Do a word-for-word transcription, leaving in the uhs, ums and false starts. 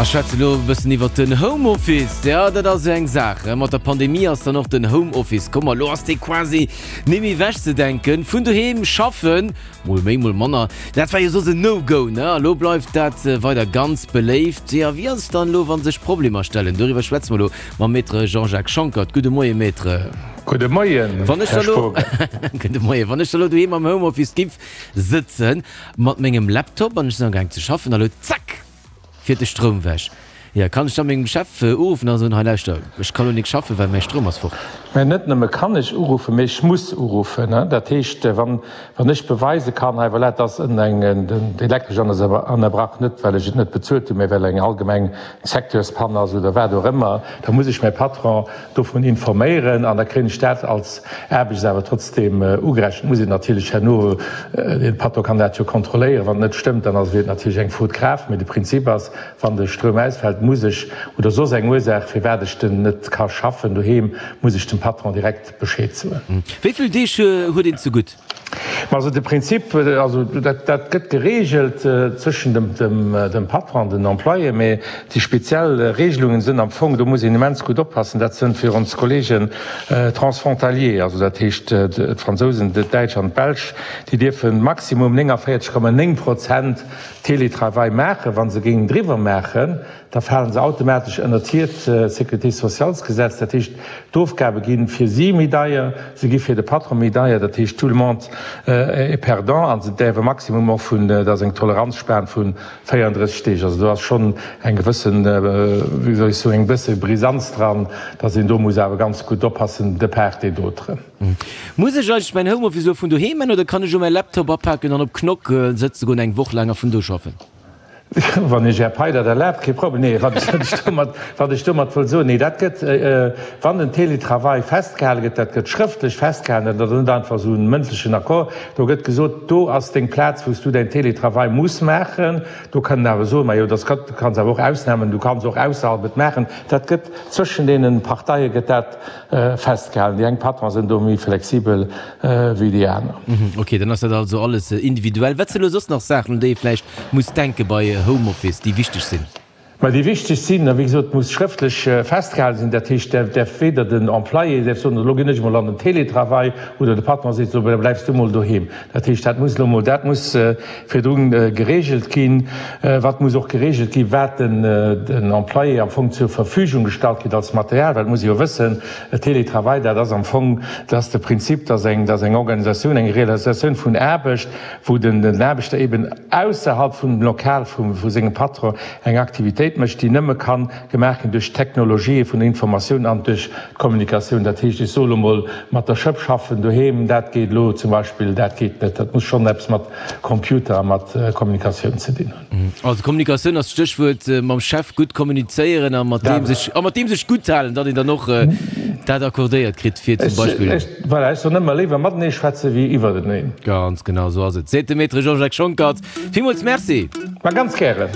A schwätze lo e bëssen iwwer den Homeoffice. Ja, dat ass jo eng Saach. Mat der Pandemie ass dann och den Homeoffice komm a lo ass dee quasi net méi ewechzedenken. Vun doheem schaffen, mol méi, mol manner, dat war jo soss en No-Go, ne? A lo bleift dat weider ganz beléift. Jo, wéi ass et dann elo, wa sech Problemer stellen? Doriwwer schwätze mer elo mam Maître Jean-Jacques Schonckert. Gudde Moie, Maître. Gudde Moien, Wann ech Här da lo, Spogen. Gudde Moien. Wann ech da lo doheem am Homeoffice giff sëtzen mat mengem Laptop an ech sinn amgaang ze schaffen a lo zack! Fiert de Stroum wech. Jo, kann ech da mengem Chef uruffen a soen, hei lauschter, ech ka lo nik schaffen, well mäi Stroum ass fort? Mä net nëmme kann ech uruffen, mee ech muss uruffen. Dat heescht, wann wann ech beweise kann, hei voilà, et ass en eng d'Elektresch ënnerbrach, net well ech et net bezuelt hunn, mee well eng allgemeng Secteurspann ass oder wat och ëmmer, da muss ech mäi Patron dovun informéieren an da kréien ech dat als Aarbecht awer trotzdeem ugerechent. Muss een natierlech herno, de Patron kann dat jo kontrolléieren, wann et net stëmmt, dann ass et natierlech eng Faute grave. Mee de Prinzip ass, wann de Stroum ausfält, muss ech, oder soss eng Ursaach, firwat ech den net ka schaffen doheem, muss ech dem Patron direkt Bescheed soen. Wéi vill Deeg huet een zegutt? Ma also de Prinzip, also dat dat gëtt geregelt zwëschen dem dem dem Patron an den Employé, mee déi speziell Regelungen sënn am Fong, do muss een immens gutt oppassen, dat sënn fir ons Kollegen transfrontalier, also dat heescht d'Fransousen, d'Däitsch an d'Belsch, déi dierfen maximum néngavéierzeg Komma néng Prozent Télétravail maachen. Wa se géingen driwwer maachen, da falen se automatesch ënnert hiert Sécurité-sociales-Gesetz. Dat heescht, d'Ofgabe gi fir si méi deier, se gi fir de Patron méi deier. Dat heescht, tout le monde est perdant. A se däerfe maximum och vun, dat ass eng Toleranzspan vu véierandrësseg Deeg. Also do ass schonn eng gewëssen, wéi soll ech soen, eng bësse Brisanz dran, datt een do muss awer ganz gutt oppassen de part et d'autre. Muss ech eigentlech mäin Homeoffice elo vun doheem man oder kann ech o mäi Laptop apaken an op Knock sëtze goen eng Woch laang a vun do schaffen? Wann Iech Är Pai dat erlaabt, kee Problem. Nee, wat ech domat, wat ech domat wëll soen, nee, dat gëtt, wann den Télétravail festgehale gëtt, dat gëtt schrëftlech festgehalen, dat ass net einfach esou e mëndlechen Accord, do gëtt gesot, do ass deng Plaz, wou s du däin Télétravail muss maachen. Do kann en awer soen, majo, dass gëtt, du kanns awer och Ausnamen, du kanns och ausserhalb et maachen. Dat gëtt, zwëschen deene Parteie gëtt dat festgehalen. Déi eng Patronen sinn do méi flexibel wéi déi aner. Ok, dann ass dat also alles individuell. Wat sinn elo soss nach Saachen, un déi ee vläicht muss denke bei Homeoffice, déi wichteg sinn? Mä déi wichteg sinn, a wéi gesot, muss schrëftlech festgehalen sinn. Dat heescht, däerf däerf weder den Employé däerf soen, elo ginn ech emol an den Télétravail, oder de Patron seet, elo bleifs du emol doheem. Dat heescht, dat muss elo emol, dat muss virdrun geregelt ginn. Wat muss och geregelt ginn, wat den den Employé am Fong zur Verfügung gestallt kritt als Material, well et muss ee jo wëssen, Télétravail, dat ass am Fong, dat ass de Prinzip, dass eng, dass eng Organisatioun, eng Realisatioun vun Aarbecht, wou den den Aarbechter eben ausserhalb vum Lokal vu vu sengem Patron eng Aktivitéit mécht, déi nëmme ka gemaach ginn duerch d'Technologië vun der Informatioun an duerch d'Kommunikatioun. Dat heescht, ech soe lo mol, mat der Schëpp schaffen doheem, dat geet elo zum Beispill, dat geet net. Dat muss schonn eppes mat Computer a mat Kommunikatioun ze dinn hunn. Also Kommunikatioun ass d'Stéchwuert, mam Chef gutt kommunizéieren a mat deem sech, a mat deem sech gutt halen, datt een dann och dat accordéiert kritt, fir zum Beispill. Ech, voilà, ech soen ëmmer, léiwer matenee schwätze wéi iwwerteneen. Ganz genau esou ass et, seet de Maître Jean-Jacques Schonckert. Villmools Merci. Ma ganz gären.